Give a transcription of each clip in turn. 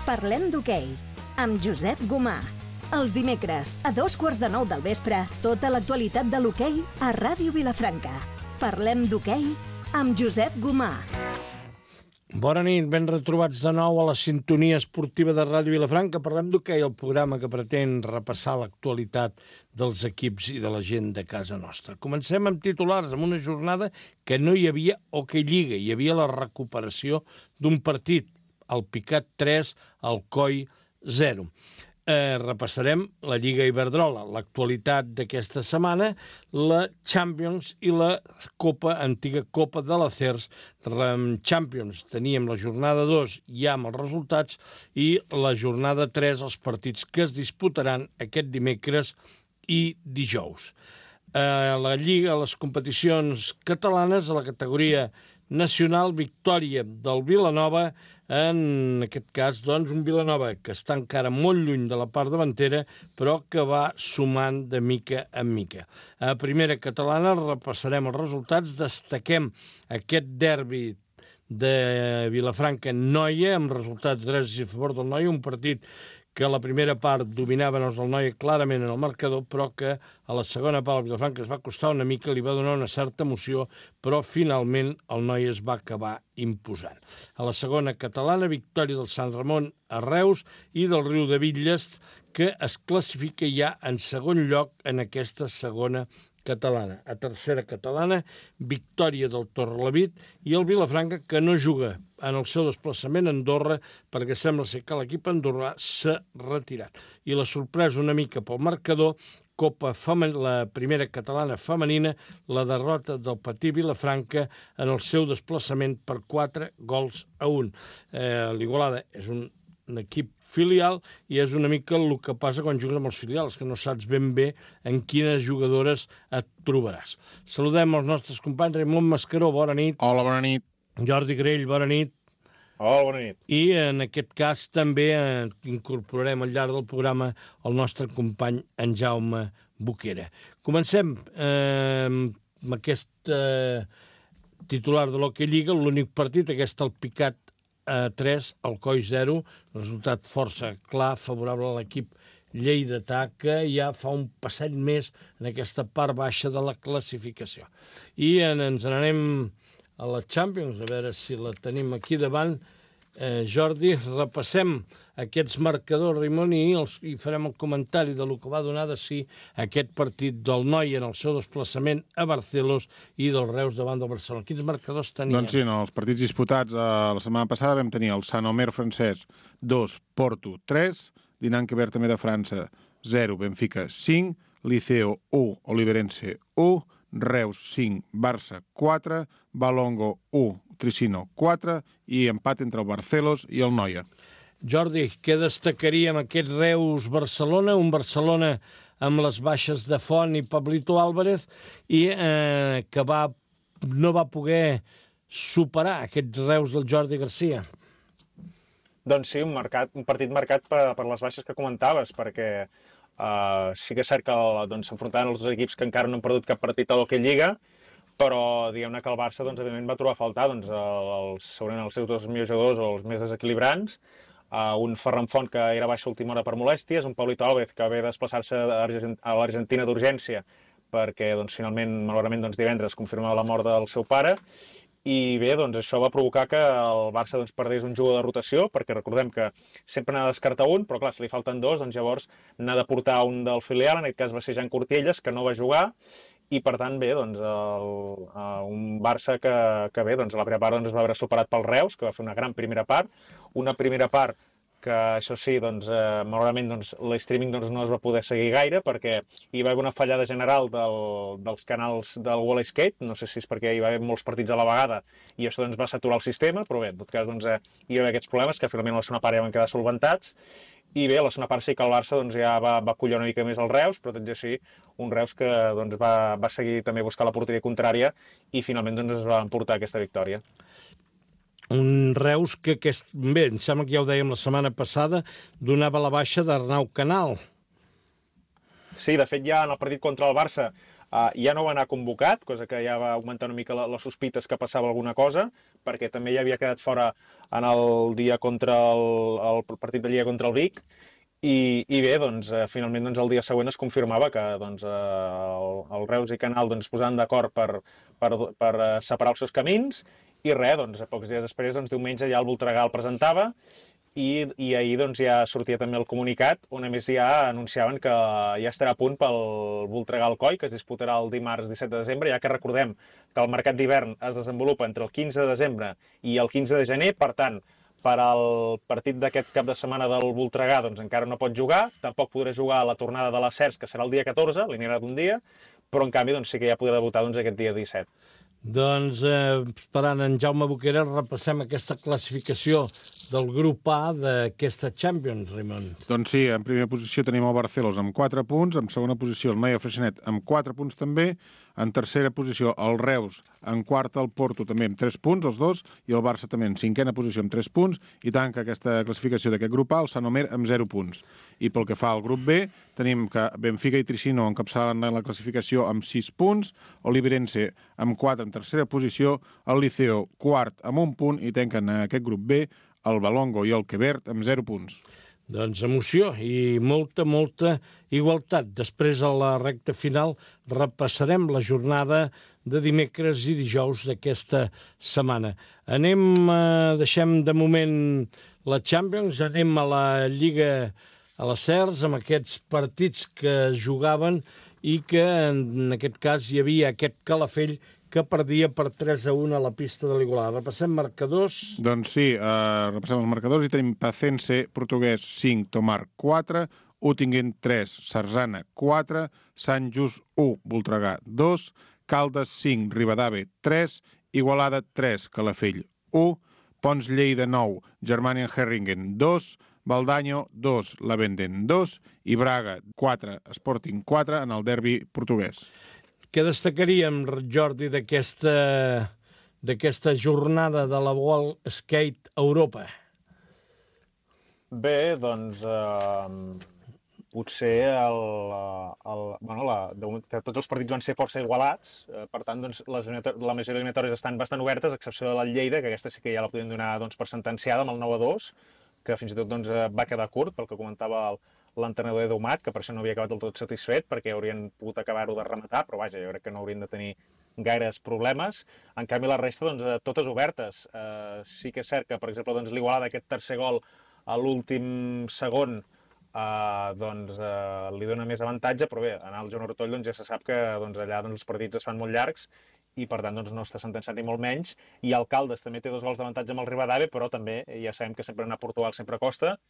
Parlem d'hoquei, amb Josep Gomà. Els dimecres, a 8:45 del vespre, tota l'actualitat de l'hoquei a Ràdio Vilafranca. Parlem d'hoquei amb Josep Gomà. Bona nit, ben retrobats de nou a la sintonia esportiva de Ràdio Vilafranca. Parlem d'hoquei, el programa que pretén repassar l'actualitat dels equips i de la gent de casa nostra. Comencem amb titulars, amb una jornada que no hi havia hoquei lliga, hi havia la recuperació d'un partit, el Picat 3, el Coi 0. Repassarem la Lliga Iberdrola, l'actualitat d'aquesta setmana, la Champions i la antiga Copa de l'Acers. Champions teníem la jornada 2 ja amb els resultats i la jornada 3, els partits que es disputaran aquest dimecres i dijous. La Lliga, les competicions catalanes, a la categoria nacional, victòria del Vilanova, en aquest cas, doncs, un Vilanova que està encara molt lluny de la part davantera, però que va sumant de mica en mica. A primera catalana repassarem els resultats, destaquem aquest derbi de Vilafranca-Noia, amb resultats 3 a favor del Noia, un partit que a la primera part dominaven els del Noia clarament en el marcador, però que a la segona part el Vilafranca es va costar una mica, li va donar una certa emoció, però finalment el Noia es va acabar imposant. A la segona catalana, victòria del Sant Ramon a Reus i del Riu de Bitlles, que es classifica ja en segon lloc en aquesta segona catalana. A tercera catalana, victòria del Torrelavit i el Vilafranca, que no juga en el seu desplaçament a Andorra, perquè sembla ser que l'equip andorrà s'ha retirat. I la sorpresa una mica pel marcador, la primera catalana femenina, la derrota del Patí Vilafranca en el seu desplaçament per 4-1. L'Igualada és un equip filial i és una mica el que passa quan jugues amb els filials, que no saps ben bé en quines jugadores et trobaràs. Saludem els nostres companys. Raimon Mascaró, bona nit. Hola, bona nit. Jordi Grell, bona nit. Hola, bona nit. I en aquest cas també incorporarem al llarg del programa el nostre company en Jaume Boquera. Comencem amb aquest titular de l'Hockey Lliga, l'únic partit, aquest el Picat 3, el Coi 0, resultat força clar, favorable a l'equip lleidatà, que ja fa un passet més en aquesta part baixa de la classificació. I ens n'anem a la Champions, a veure si la tenim aquí davant. Jordi, repassem aquests marcadors, Raimon, i farem el comentari de lo que va donar de si aquest partit del Noia en el seu desplaçament a Barcelos i del Reus davant del Barcelona. Quins marcadors teníem? Doncs sí, en els partits disputats la setmana passada vam tenir el Sant Omer francès 2, Porto 3, Dinanque Bertamé de França 0, Benfica 5, Liceo 1, Oliverense 1, Reus 5, Barça 4, Balongo 1, Tricino 4 i empat entre el Barcelos i el Noia. Jordi, què destacaríem aquest Reus-Barcelona? Un Barcelona amb les baixes de Font i Pablito Álvarez i que no va poder superar aquest Reus del Jordi Garcia. Doncs sí, un partit marcat per les baixes que comentaves, perquè sí que és cert que s'enfrontaven els dos equips que encara no han perdut cap partit a l'Hockey Lliga, però diguem-ne que el Barça evidentment va trobar a faltar segurament els seus dos millors jugadors o els més desequilibrants, un Ferran Font que era baixa a última hora per molèsties, un Pablito Álvarez que ve desplaçar-se a l'Argentina d'urgència perquè finalment, malauradament, divendres confirmava la mort del seu pare. I bé, això va provocar que el Barça perdés un jugador de rotació, perquè recordem que sempre n'ha de descartar un, però clar, si li falten dos, llavors n'ha de portar un del filial, en aquest cas va ser Jan Cortielles, que no va jugar, i per tant, bé, un Barça que bé, a la primera part es va veure superat pel Reus, que va fer una gran primera part, una primera part que això sí, malauradament l'streaming no es va poder seguir gaire perquè hi va haver una fallada general dels canals del Wall Skate, no sé si és perquè hi va haver molts partits a la vegada i això va saturar el sistema, però bé, en tot cas hi va haver aquests problemes que finalment a la segona part ja van quedar solventats i bé, a la segona part sí que el Barça ja va collar una mica més el Reus, però tot i així un Reus que va seguir també a buscar la porteria contrària i finalment es va emportar aquesta victòria. Un Reus que bé, em sembla que ja ho dèiem la setmana passada, donava la baixa d'Arnau Canal. Sí, de fet ja en el partit contra el Barça ja no va anar convocat, cosa que ja va augmentar una mica les sospites que passava alguna cosa, perquè també ja havia quedat fora en el dia contra el partit de Lliga contra el Vic, i bé, doncs, finalment doncs, el dia següent es confirmava que doncs, el Reus i Canal doncs, es posaven d'acord per separar els seus camins, i res, doncs, a pocs dies després, doncs, diumenge ja el Voltregà el presentava, i ahir doncs, ja sortia també el comunicat, on a més ja anunciaven que ja estarà a punt pel Voltregà Alcoi, que es disputarà el dimarts 17 de desembre, ja que recordem que el mercat d'hivern es desenvolupa entre el 15 de desembre i el 15 de gener, per tant, per al partit d'aquest cap de setmana del Voltregà doncs encara no pot jugar, tampoc podrà jugar a la tornada de les Cercs, que serà el dia 14, li anirà d'un dia, però en canvi doncs, sí que ja podrà debutar doncs, aquest dia 17. Doncs, esperant en Jaume Boquera, repassem aquesta classificació del grup A d'aquesta Champions, Raimon. Doncs sí, en primera posició tenim el Barcelos amb 4 punts, en segona posició el Noia Freixenet amb 4 punts també, en tercera posició el Reus, en quarta el Porto també amb 3 punts, els dos, i el Barça també en cinquena posició amb 3 punts, i tanca aquesta classificació d'aquest grup A el Sant Omer amb 0 punts. I pel que fa al grup B, tenim que Benfica i Tricino encapçalen la classificació amb 6 punts, Oliveirense amb 4 en tercera posició, el Liceo quart amb 1 punt, i tanquen aquest grup B el Balongo i el Quevert amb 0 punts. Doncs emoció i molta igualtat. Després, a la recta final, repassarem la jornada de dimecres i dijous d'aquesta setmana. Deixem de moment la Champions, anem a la Lliga a les Cercs, amb aquests partits que es jugaven i que en aquest cas hi havia aquest Calafell que perdia per 3-1 a la pista de l'Igualada. Repassem marcadors. Doncs sí, repassem els marcadors i tenim Pacense, Portuguès 5, Tomar 4, Utingen 3, Sarzana 4, Sant Just 1, Voltregà 2, Caldes 5, Ribadave 3, Igualada 3, Calafell 1, Pons Lleida 9, Germania Herringen 2, Valdaño 2, Lavenden 2 i Braga 4, Sporting 4 en el derbi portuguès. Què destacaríem, Jordi, d'aquesta jornada de la World Skate Europa? Bé, doncs, potser que tots els partits van ser força igualats, per tant, doncs, la majoria eliminatòries estan bastant obertes, a excepció de la Lleida, que aquesta sí que ja la podem donar doncs, per sentenciada amb el 9-2, que fins i tot doncs, va quedar curt, pel que comentava l'entrenador Edu Mat, que per això no havia acabat del tot satisfet, perquè haurien pogut acabar-ho de rematar, però vaja, jo crec que no haurien de tenir gaires problemes. En canvi, la resta, doncs, totes obertes. Sí que és cert que, per exemple, doncs, l'Igualada, aquest tercer gol a l'últim segon, doncs, li dona més avantatge, però bé, en el Joan Ortoll doncs, ja se sap que doncs, allà doncs, els partits es fan molt llargs i per tant doncs, no està sentenciat ni molt menys, i el Caldes també té 2 gols d'avantatge amb el Ribadave, però també ja sabem que sempre anar a Portugal sempre costa,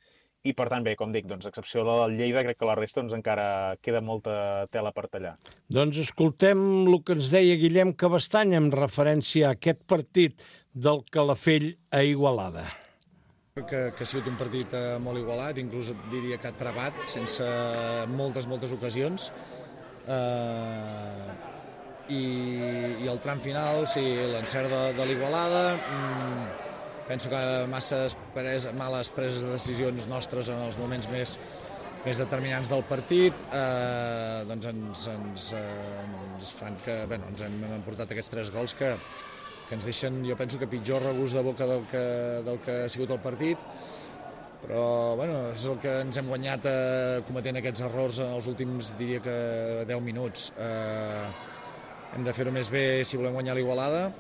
i per tant bé, com dic, doncs, a excepció del Lleida, crec que la resta doncs, encara queda molta tela per tallar. Doncs escoltem el que ens deia Guillem Cabestany en referència a aquest partit del Calafell a Igualada. Que ha sigut un partit molt igualat, inclús diria que trebat, sense moltes ocasions. I el tram final, sí, l'encert de l'Igualada, penso que males preses de decisions nostres en els moments més determinants del partit doncs ens fan que ens hem emportat aquests 3 gols que ens deixen, jo penso que pitjor regust de boca del que ha sigut el partit, però és el que ens hem guanyat cometent aquests errors en els últims, diria que 10 minuts. Hem de fer-ho més bé si volem guanyar l'Igualada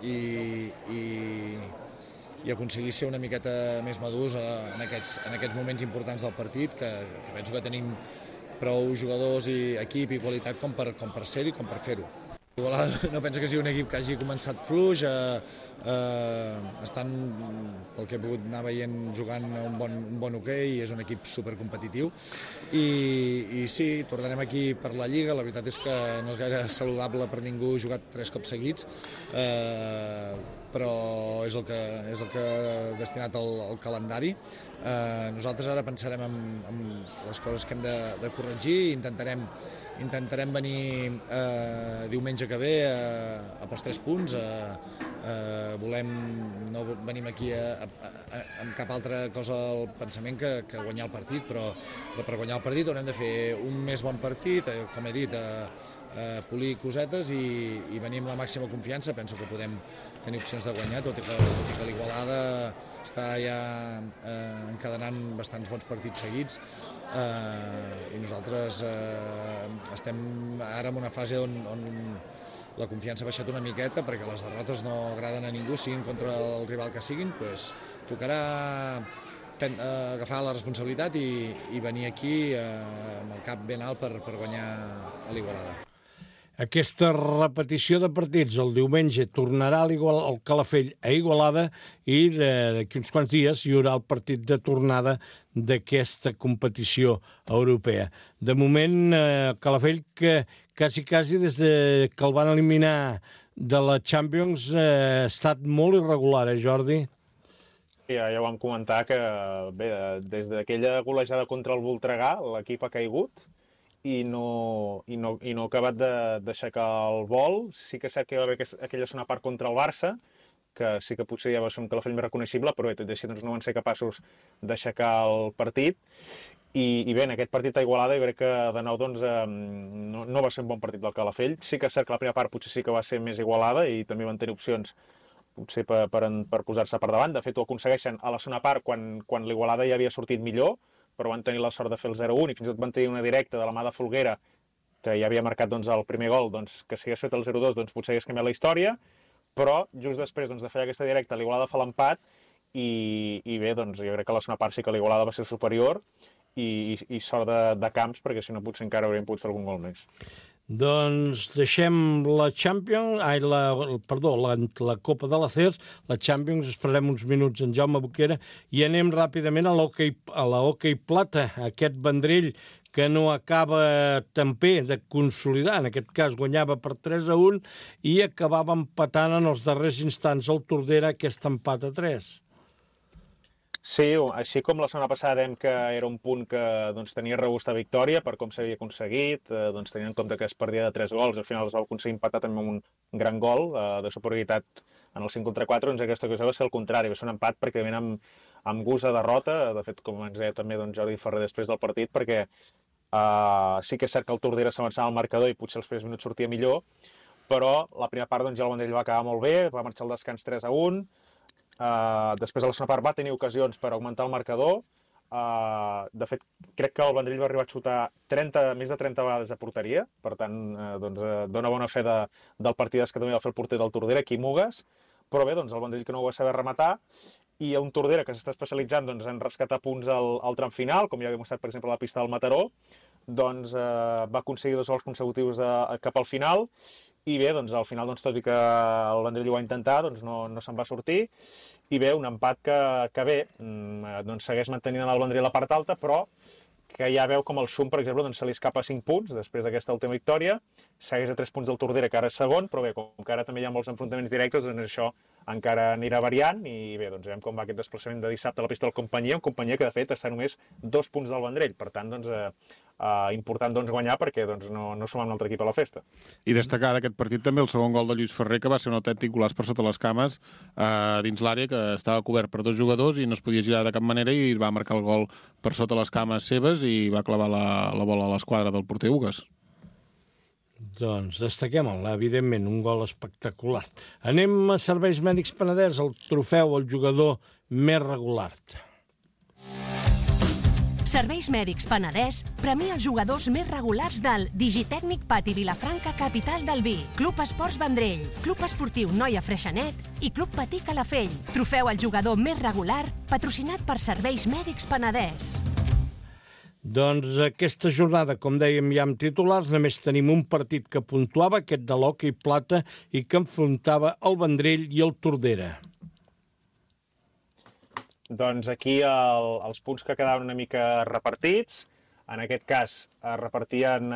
i aconseguir ser una miqueta més madurs en aquests moments importants del partit, que penso que tenim prou jugadors i equip i qualitat com per ser-hi i com per fer-ho. Igualada no penso que sigui un equip que hagi començat fluix, estan, pel que he pogut anar veient, jugant un bon hoquei, és un equip supercompetitiu i sí, tornarem aquí per la Lliga, la veritat és que no és gaire saludable per ningú jugar 3 cops seguits, però és el que ha destinat el calendari. Nosaltres ara pensarem en les coses que hem de corregir i intentarem venir diumenge que ve pels 3 punts. No venim aquí amb cap altra cosa al pensament que guanyar el partit, però per guanyar el partit haurem de fer un més bon partit, com he dit, polir cosetes i venir amb la màxima confiança. Penso que podem tenir opcions de guanyar, tot i que l'Igualada està ja encadenant bastants bons partits seguits, i nosaltres estem ara en una fase on la confiança ha baixat una miqueta perquè les derrotes no agraden a ningú, siguin contra el rival que siguin. Tocarà agafar la responsabilitat i venir aquí amb el cap ben alt per guanyar a l'Igualada. Aquesta repetició de partits el diumenge tornarà al Calafell a Igualada i d'aquí uns quants dies hi haurà el partit de tornada d'aquesta competició europea. De moment, Calafell, que quasi des que el van eliminar de la Champions ha estat molt irregular, Jordi? Ja ho vam comentar que bé, des d'aquella golejada contra el Voltregà l'equip ha caigut i no ha acabat d'aixecar el vol. Sí que és cert que hi va haver aquella segona part contra el Barça, que sí que potser ja va ser un Calafell més reconeixible, però bé, tot i així no van ser capaços d'aixecar el partit. I bé, en aquest partit a Igualada jo crec que de nou no va ser un bon partit del Calafell. Sí que és cert que la primera part potser sí que va ser més igualada i també van tenir opcions potser per posar-se per davant. De fet, ho aconsegueixen a la segona part quan l'Igualada ja havia sortit millor, però van tenir la sort de fer el 0-1 i fins i tot van tenir una directa de la mà de Folguera, que ja havia marcat el primer gol, que si hagués fet el 0-2 potser hagués canviat la història, però just després de fer aquesta directa l'Igualada fa l'empat i bé, jo crec que a la segona part sí que l'Igualada va ser superior i sort de camps, perquè si no potser encara hauríem pogut fer algun gol més. Doncs deixem la Champions, la Copa de l'Acers, la Champions, esperem uns minuts en Jaume Boquera i anem ràpidament a l'hoquei plata, aquest Vendrell que no acaba també de consolidar, en aquest cas guanyava per 3-1 i acabava empatant en els darrers instants el Tordera aquest empat a 3. Sí, així com la setmana passada dèiem que era un punt que tenia regust a victòria per com s'havia aconseguit, tenint en compte que es perdia de 3 gols, al final es va aconseguir empatar també amb un gran gol de superioritat en el 5 contra 4, doncs aquesta cosa va ser el contrari, va ser un empat pràcticament amb gust a derrota, de fet com ens deia també Jordi Ferrer després del partit, perquè sí que és cert que el Tordera s'avançava al marcador i potser els primers minuts sortia millor, però la primera part ja el Vendrell va acabar molt bé, va marxar al descans 3-1, després a la segona part va tenir ocasions per augmentar el marcador. De fet, crec que el Vendrell va arribar a xutar més de 30 vegades a porteria, per tant, dona bona fe del partidàs que també va fer el porter del Tordera, Quim Mugues, però bé, el Vendrell que no ho va saber rematar, i un Tordera que s'està especialitzant en rescatar punts al tram final, com ja ha demostrat, per exemple, a la pista del Mataró, va aconseguir 2 gols consecutius cap al final, i bé, al final, tot i que el Vendrell ho va intentar, no se'n va sortir, i bé, un empat que bé, segueix mantenint el Vendrell a la part alta, però que ja veu com el Xum, per exemple, se li escapa 5 punts després d'aquesta última victòria, segueix a 3 punts del Tordera, que ara és segon, però bé, com que ara també hi ha molts enfrontaments directes, això encara anirà variant, i bé, veiem com va aquest desplaçament de dissabte a la pista del Companyia, un Companyia que de fet està només 2 punts del Vendrell, per tant, important guanyar perquè no sumar un altre equip a la festa. I destacar d'aquest partit també el segon gol de Lluís Ferrer, que va ser un autèntic golaç per sota les cames dins l'àrea, que estava cobert per 2 jugadors i no es podia girar de cap manera i va marcar el gol per sota les cames seves i va clavar la bola a l'esquadra del porter Ugues. Doncs destaquem-la, evidentment, un gol espectacular. Anem a Serveis Mèdics Penedès, el trofeu al jugador més regular. Serveis Mèdics Penedès premia els jugadors més regulars del Digitècnic Pati Vilafranca, capital del vi, Club Esports Vendrell, Club Esportiu Noia Freixenet i Club Patí Calafell. Trofeu al jugador més regular, patrocinat per Serveis Mèdics Penedès. Doncs aquesta jornada, com dèiem ja amb titulars, només tenim un partit que puntuava, aquest de l'hoquei plata, i que enfrontava el Vendrell i el Tordera. Doncs aquí els punts que quedaven una mica repartits. En aquest cas es repartien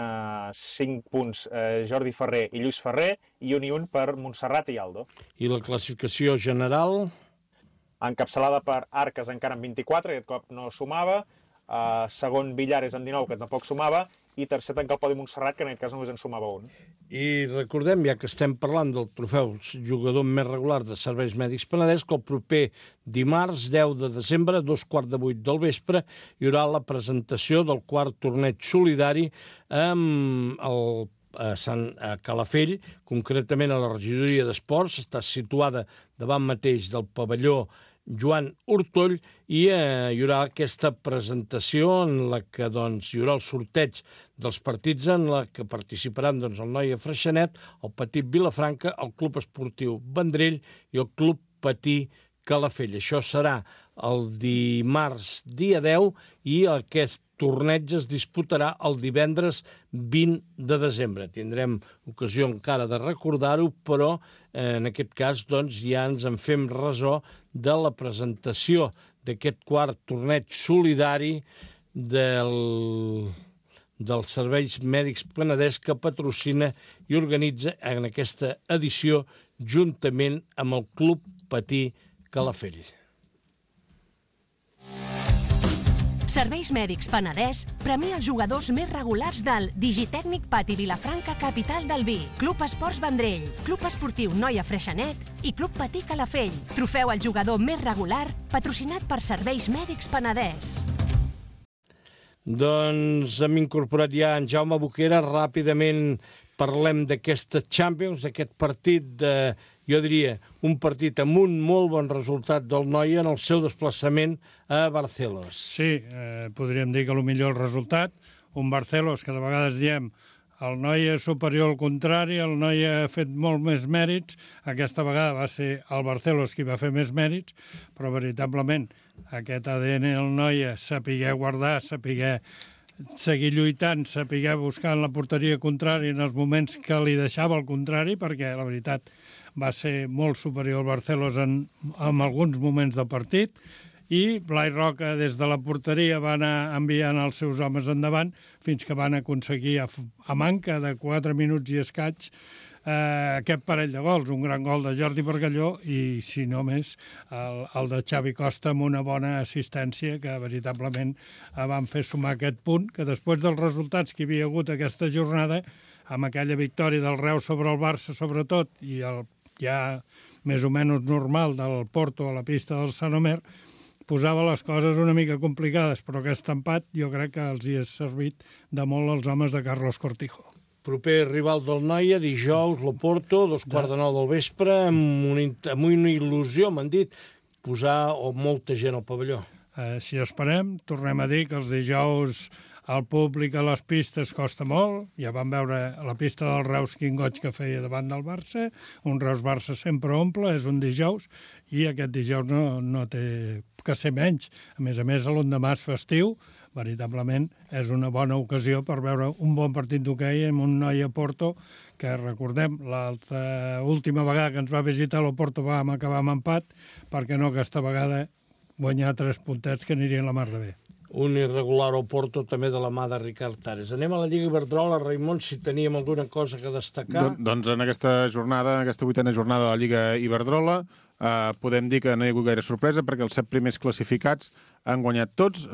5 punts Jordi Ferrer i Lluís Ferrer i un per Montserrat i Aldo. I la classificació general? Encapçalada per Arques encara amb 24, aquest cop no sumava, segon Villares amb 19, que tampoc sumava, i tercer tanca el podi Montserrat, que en aquest cas només en sumava un. I recordem, ja que estem parlant del trofeu jugador més regular de Serveis Mèdics Penedès, que el proper dimarts 10 de desembre, 7:15 del vespre, hi haurà la presentació del quart torneig solidari amb a Calafell, concretament a la regidoria d'Esports. Està situada davant mateix del pavelló Joan Hurtoll, i hi haurà aquesta presentació en la que hi haurà el sorteig dels partits en la que participaran el Noia Freixenet, el Petit Vilafranca, el Club Esportiu Vendrell i el Club Patí Calafell. Això serà el dimarts dia 10 i aquest torneig es disputarà el divendres 20 de desembre. Tindrem ocasió encara de recordar-ho, però en aquest cas ja ens en fem ressò de la presentació d'aquest quart torneig solidari dels Serveis Mèdics Penedès, que patrocina i organitza en aquesta edició juntament amb el Club Patí Calafell. Serveis Mèdics Penedès premia els jugadors més regulars del Digitècnic Pati Vilafranca, capital del vi, Club Esports Vendrell, Club Esportiu Noia Freixenet i Club Patí Calafell. Trofeu al jugador més regular, patrocinat per Serveis Mèdics Penedès. Doncs hem incorporat ja en Jaume Boquera. Ràpidament parlem d'aquesta Champions, d'aquest partit jo diria, un partit amb un molt bon resultat del Noia en el seu desplaçament a Barcelos. Sí, podríem dir que millor el resultat. Un Barcelos que de vegades diem el Noia és superior al contrari, el Noia ha fet molt més mèrits. Aquesta vegada va ser el Barcelos qui va fer més mèrits, però veritablement aquest ADN del Noia, saber guardar, saber seguir lluitant, saber buscar en la porteria contrària en els moments que li deixava el contrari, perquè la veritat va ser molt superior al Barcelos en alguns moments del partit, i Blai Roca des de la porteria va anar enviant els seus homes endavant fins que van aconseguir, a manca de 4 minuts i escaig, aquest parell de gols, un gran gol de Jordi Bargalló i, si no més, el de Xavi Costa amb una bona assistència que veritablement van fer sumar aquest punt, que després dels resultats que hi havia hagut aquesta jornada, amb aquella victòria del Reus sobre el Barça sobretot i el ja més o menys normal del Porto a la pista del Sant Omer, posava les coses una mica complicades, però aquest empat jo crec que els hi ha servit de molt als homes de Carlos Cortijo. Proper rival del Noia, dijous, l'Oporto, 8:15 del vespre, amb una il·lusió, m'han dit, posar molta gent al pavelló. Si esperem, tornem a dir que els dijous el públic a les pistes costa molt. Ja vam veure la pista del Reus quin goig que feia davant del Barça. Un Reus-Barça sempre omple, és un dijous, i aquest dijous no té que ser menys. A més, l'endemà és festiu. Veritablement és una bona ocasió per veure un bon partit d'hoquei amb un Noia Porto, que recordem, l'última vegada que ens va visitar l'Oporto vam acabar amb empat, perquè no aquesta vegada guanyar 3 puntets que anirien la mar de bé. Un irregular Oporto també de la mà de Ricard Tares. Anem a la Lliga Iberdrola, Raimon, si teníem alguna cosa que destacar. Doncs en aquesta jornada, en aquesta 8a jornada de la Lliga Iberdrola, podem dir que no hi ha hagut gaire sorpresa perquè els 7 primers classificats han guanyat tots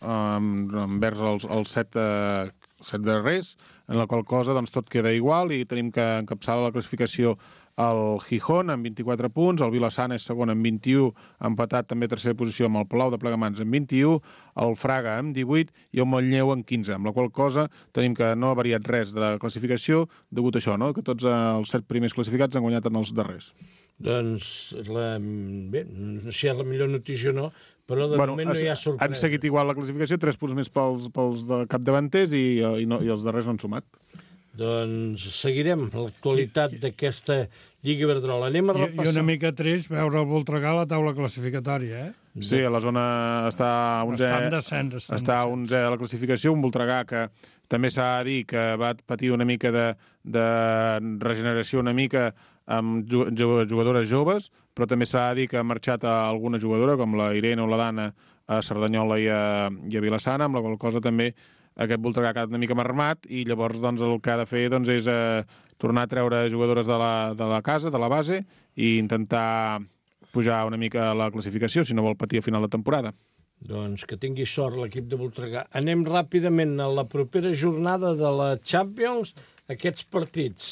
envers els 7 darrers, en la qual cosa tot queda igual i tenim que encapçalar la classificació el Gijón amb 24 punts, el Vilassana és segon amb 21, empatat també a tercera posició amb el Palau de Plegamans amb 21, el Fraga amb 18 i el Montlleu amb 15, amb la qual cosa tenim que no ha variat res de la classificació degut a això, no? Que tots els 7 primers classificats han guanyat en els darrers. Doncs, bé, no sé si és la millor notícia o no, però de moment no hi ha sorpresa. Han seguit igual la classificació, 3 punts més pels de capdavanters i els darrers no han sumat. Doncs seguirem l'actualitat d'aquesta Lliga Iberdrola. Anem a repassar. I una mica trist veure el Voltregà a la taula classificatòria, eh? Sí, a la zona està a 11 a la classificació, un Voltregà que també s'ha de dir que va patir una mica de regeneració una mica amb jugadores joves, però també s'ha de dir que ha marxat alguna jugadora, com la Irene o la Dana, a Cerdanyola i a Vilassana, amb la qual cosa també aquest Voltregà ha quedat una mica marmat i llavors doncs, el que ha de fer doncs, és tornar a treure jugadores de la casa, de la base, i intentar pujar una mica la classificació, si no vol patir a final de temporada. Doncs que tingui sort l'equip de Voltregà. Anem ràpidament a la propera jornada de la Champions, aquests partits.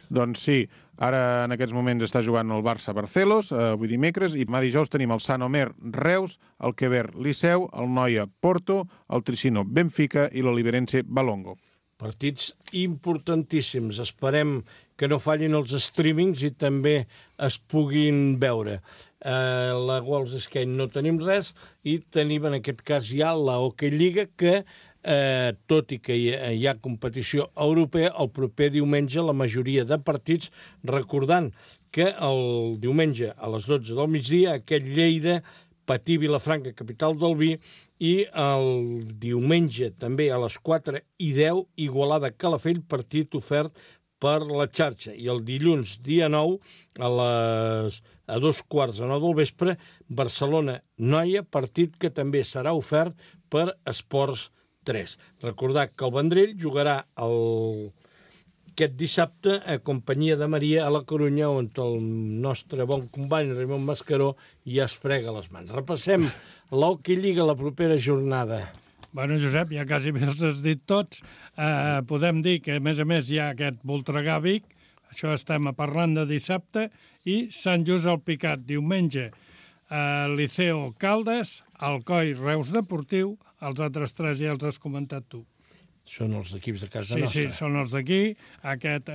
Doncs sí, ara en aquests moments està jugant el Barça-Barcelos, avui dimecres, i demà dijous tenim el Sant Omer Reus, el Quever Liceu, el Noia Porto, el Tricino Benfica i l'Oliverense Balongo. Partits importantíssims. Esperem que no fallin els streamings i també es puguin veure. La World Skate no tenim res i tenim en aquest cas ja la Hockey Lliga que, tot i que hi ha competició europea, el proper diumenge la majoria de partits, recordant que el diumenge a les 12 del migdia aquest Lleida Patí Vilafranca, capital del vi, i el diumenge també a les 4:10 Igualada Calafell, partit ofert per la xarxa. I el dilluns, dia 9, a 2:15 del vespre, Barcelona-Noia, partit que també serà ofert per Esports 3. Recordar que el Vendrell jugarà aquest dissabte a companyia de Maria a la Corunya, on el nostre bon company Raimon Mascaró ja es frega les mans. Repassem l'Hockey Lliga la propera jornada. Bueno, Josep, ja quasi els has dit tots. Podem dir que, a més, hi ha aquest Voltregà-Vic, això estem parlant de dissabte, i Sant Just al Picat, diumenge, Liceo Caldes, Alcoi Reus Deportiu, els altres tres ja els has comentat tu. Són els equips de casa nostra. Sí, són els d'aquí. Aquest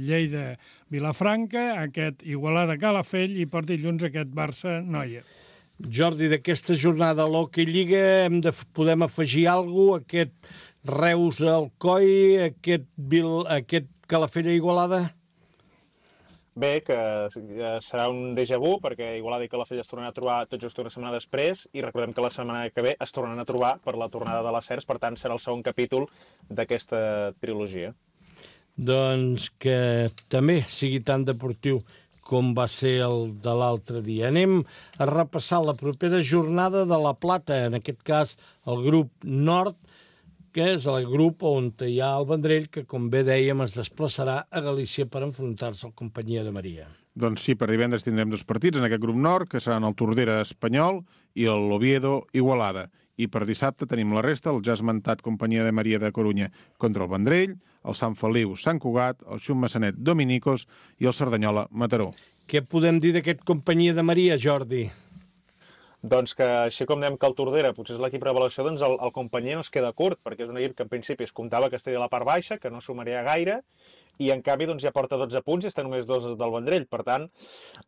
Lleida Vilafranca, aquest Igualada Calafell i per dilluns aquest Barça Noia. Jordi, d'aquesta jornada a l'Hockey Lliga podem afegir alguna cosa? Aquest Reus Alcoi, aquest Calafell Igualada? Bé, que serà un déjà vu, perquè Igualada i Calafell es tornaran a trobar tot just una setmana després, i recordem que la setmana que ve es tornaran a trobar per la tornada de les Cers, per tant serà el segon capítol d'aquesta trilogia. Doncs que també sigui tan deportiu com va ser el de l'altre dia. Anem a repassar la propera jornada de La Plata, en aquest cas el grup Nord, que és el grup on hi ha el Vendrell, que, com bé dèiem, es desplaçarà a Galícia per enfrontar-se al Companyia de Maria. Doncs sí, per divendres tindrem dos partits en aquest grup nord, que seran el Tordera Espanyol i l'Oviedo Igualada. I per dissabte tenim la resta, el ja esmentat Companyia de Maria de Corunya contra el Vendrell, el Sant Feliu Sant Cugat, el Xum Massanet Dominicos i el Cerdanyola Mataró. Què podem dir d'aquest Companyia de Maria, Jordi? Doncs que, així com dèiem que el Tordera potser és l'equip revelació, doncs el Companyia no es queda curt, perquè és un equip que en principi es comptava que estaria a la part baixa, que no sumaria gaire, i en canvi doncs, ja porta 12 punts i està només 2 del Vendrell. Per tant,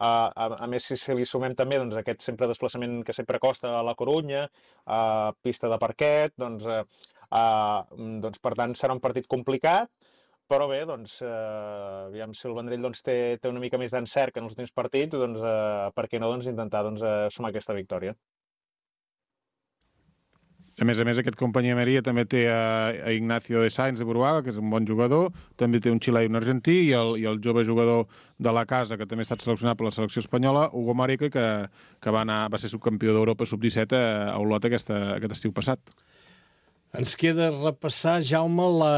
a més, si li sumem també doncs, aquest sempre desplaçament que sempre costa a la Corunya, pista de parquet, doncs per tant serà un partit complicat, però bé, doncs, aviam si el Vendrell doncs, té una mica més d'encert que en els últims partits, doncs, per què no doncs, intentar sumar aquesta victòria. A més, aquest Companyia de Maria també té a Ignacio de Sainz de Buruaga, que és un bon jugador, també té un xilè i un argentí, i el jove jugador de la casa, que també ha estat seleccionat per la selecció espanyola, Hugo Marica, que va ser subcampió d'Europa sub-17 a Olot aquest estiu passat. Ens queda repassar, Jaume, la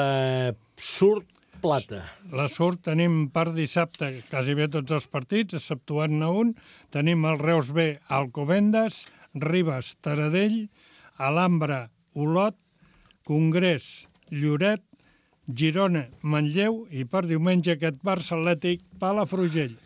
Surt Plata. La Surt tenim per dissabte quasi bé tots els partits, exceptuant-ne un. Tenim el Reus B, Alcobendas, Ribes, Taradell, Alhambra, Olot, Congrés, Lloret, Girona, Manlleu i per diumenge aquest Barça Atlètic, Palafrugell.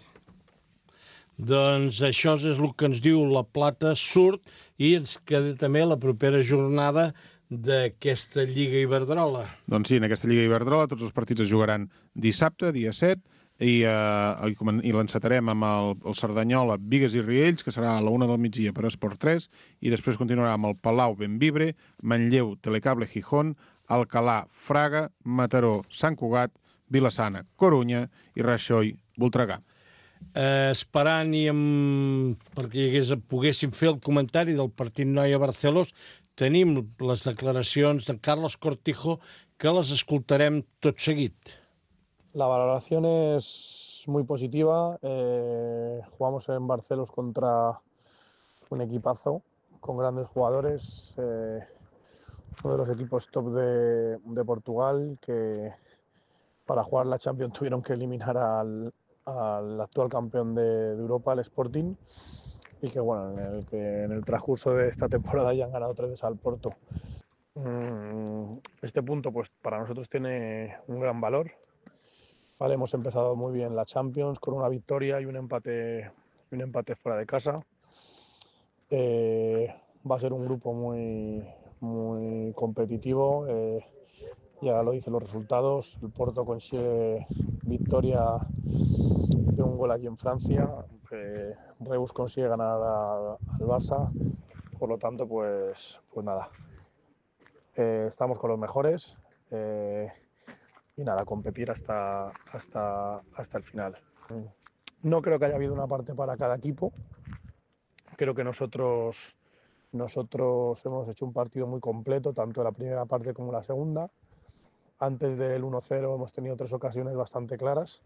Doncs això és el que ens diu la Plata Surt i ens queda també la propera jornada d'aquesta Lliga Iberdrola. Doncs sí, en aquesta Lliga Iberdrola tots els partits es jugaran dissabte, dia 7, i l'encetarem amb el Cerdanyola, Bigues i Riells, que serà a la 1 del migdia per Esport 3, i després continuarà amb el Palau Benvibre, Manlleu, Telecable Gijón, Alcalà, Fraga, Mataró, Sant Cugat, Vilassana, Corunya i Raixoi, Voltregà. Esperant perquè poguéssim fer el comentari del partit Noia-Barcelos, tenim les declaracions de Carlos Cortijo, que les escoltarem tot seguit. La valoración es muy positiva. Jugamos en Barcelos contra un equipazo con grandes jugadores, uno de los equipos top de Portugal, que para jugar la Champions tuvieron que eliminar al actual campeón de Europa, el Sporting, y que bueno, en el transcurso de esta temporada ya han ganado 3 veces al Porto. Este punto pues para nosotros tiene un gran valor. Vale, hemos empezado muy bien la Champions con una victoria y un empate fuera de casa. Va a ser un grupo muy competitivo. Ya lo dicen los resultados. El Porto consigue victoria de un gol aquí en Francia. Reus consigue ganar al Barça. Por lo tanto, pues nada. Estamos con los mejores. Y nada, competir hasta el final. No creo que haya habido una parte para cada equipo. Creo que nosotros hemos hecho un partido muy completo, tanto la primera parte como la segunda. Antes del 1-0 hemos tenido 3 ocasiones bastante claras.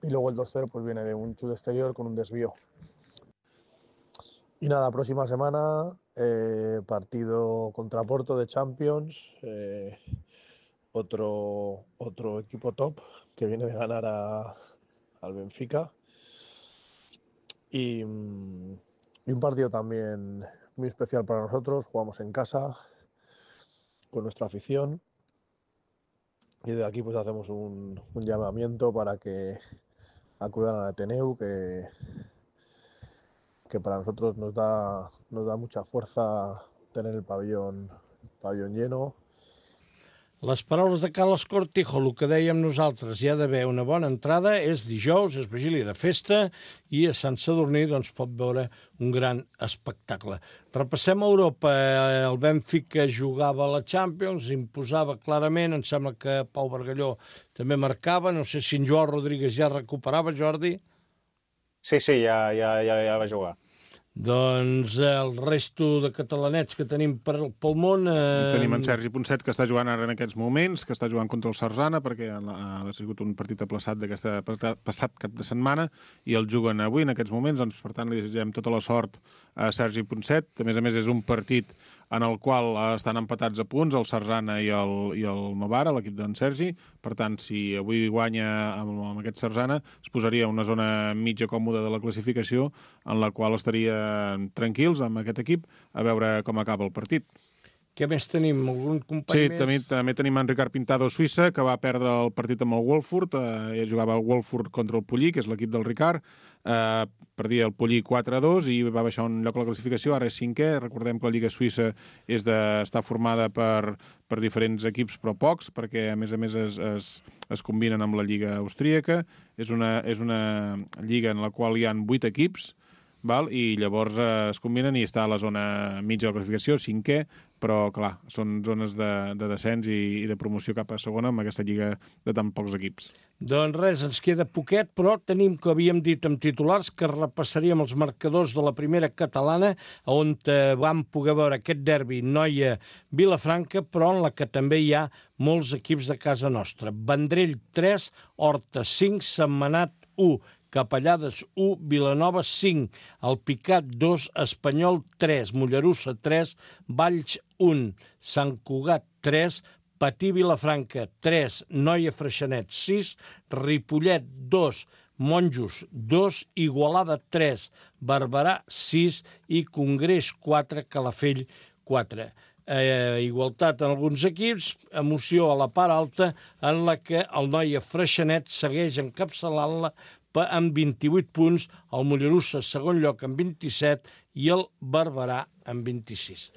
Y luego el 2-0 pues viene de un chute exterior con un desvío. Y nada, próxima semana, partido contra Porto de Champions. Otro equipo top que viene de ganar al Benfica. Y un partido también muy especial para nosotros. Jugamos en casa con nuestra afición. Y de aquí pues hacemos un llamamiento para que acudan al Ateneu, que para nosotros nos da mucha fuerza tener el pabellón lleno. Les paraules de Carles Cortijo, el que dèiem nosaltres, hi ha d'haver una bona entrada, és dijous, és vigília de festa, i a Sant Sadurní doncs, pot veure un gran espectacle. Repassem a Europa. El Benfica jugava a la Champions, imposava clarament, em sembla que Pau Bargalló també marcava, no sé si en Joao Rodríguez ja recuperava, Jordi? Sí, ja va jugar. Doncs el resto de catalanets que tenim pel món... Tenim en Sergi Ponset, que està jugant ara en aquests moments, que està jugant contra el Sarzana, perquè ha sigut un partit aplaçat passat cap de setmana, i el juguen avui, en aquests moments. Doncs, per tant, li desitgem tota la sort a Sergi Ponset. A més, és un partit en el qual estan empatats a punts el Sarzana i el Novara, l'equip d'en Sergi. Per tant, si avui guanya amb aquest Sarzana, es posaria una zona mitja còmoda de la classificació, en la qual estaria tranquils amb aquest equip a veure com acaba el partit. Què més tenim? Algun company més? Sí, també tenim en Ricard Pintado, Suïssa, que va perdre el partit amb el Wolfsburg. Ell jugava el Wolfsburg contra el Pollí, que és l'equip del Ricard. Perdia el Pollí 4-2 i va baixar un lloc a la classificació. Ara és 5è. Recordem que la Lliga Suïssa està formada per diferents equips, però pocs, perquè a més es combinen amb la Lliga Austríaca. És una lliga en la qual hi ha 8 equips, i llavors es combinen i està a la zona mitja de la classificació, 5è, però, clar, són zones de descens i de promoció cap a segona amb aquesta lliga de tan pocs equips. Doncs res, ens queda poquet, però tenim, que havíem dit amb titulars, que repassaríem els marcadors de la primera catalana, on vam poder veure aquest derbi Noia-Vilafranca, però en la que també hi ha molts equips de casa nostra. Vendrell 3, Horta 5, Sentmenat 1, Capellades 1, Vilanova 5, Alpicat 2, Espanyol 3, Mollerussa 3, Valls 1, Sant Cugat 3, Patí Vilafranca 3, Noia Freixenet 6, Ripollet 2, Monjos 2, Igualada 3, Barberà 6 i Congrés 4, Calafell 4. Igualtat en alguns equips, emoció a la part alta, en la que el Noia Freixenet segueix encapçalant-la amb 28 punts, el Mollerussa segon lloc amb 27 i el Barberà amb 26.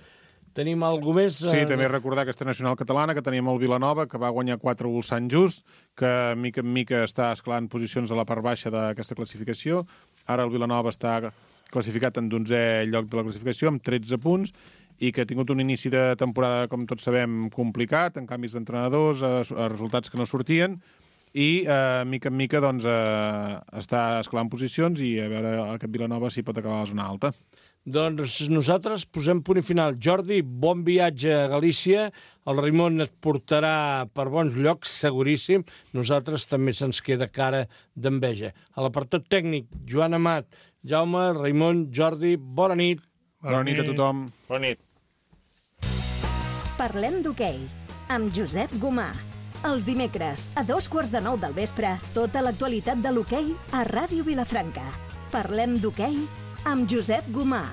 Tenim alguna més? Sí, també recordar aquesta nacional catalana, que teníem el Vilanova, que va guanyar 4-1 al Sant Just, que mica en mica està escalant posicions a la part baixa d'aquesta classificació. Ara el Vilanova està classificat en 11è lloc de la classificació, amb 13 punts, i que ha tingut un inici de temporada, com tots sabem, complicat, en canvis d'entrenadors, resultats que no sortien, i mica en mica doncs, està escalant posicions i a veure aquest Vilanova si pot acabar a la zona alta. Doncs nosaltres posem punt i final. Jordi, bon viatge a Galícia. El Raimon et portarà per bons llocs, seguríssim. Nosaltres també se'ns queda cara d'enveja. A l'apartat tècnic, Joan Amat, Jaume, Raimon, Jordi, bona nit. Bona nit a tothom. Bona nit. Parlem d'hoquei, amb Josep Gomà. Els dimecres, a 8:45 del vespre, tota l'actualitat de l'hoquei a Ràdio Vilafranca. Parlem d'hoquei amb Josep Gomà.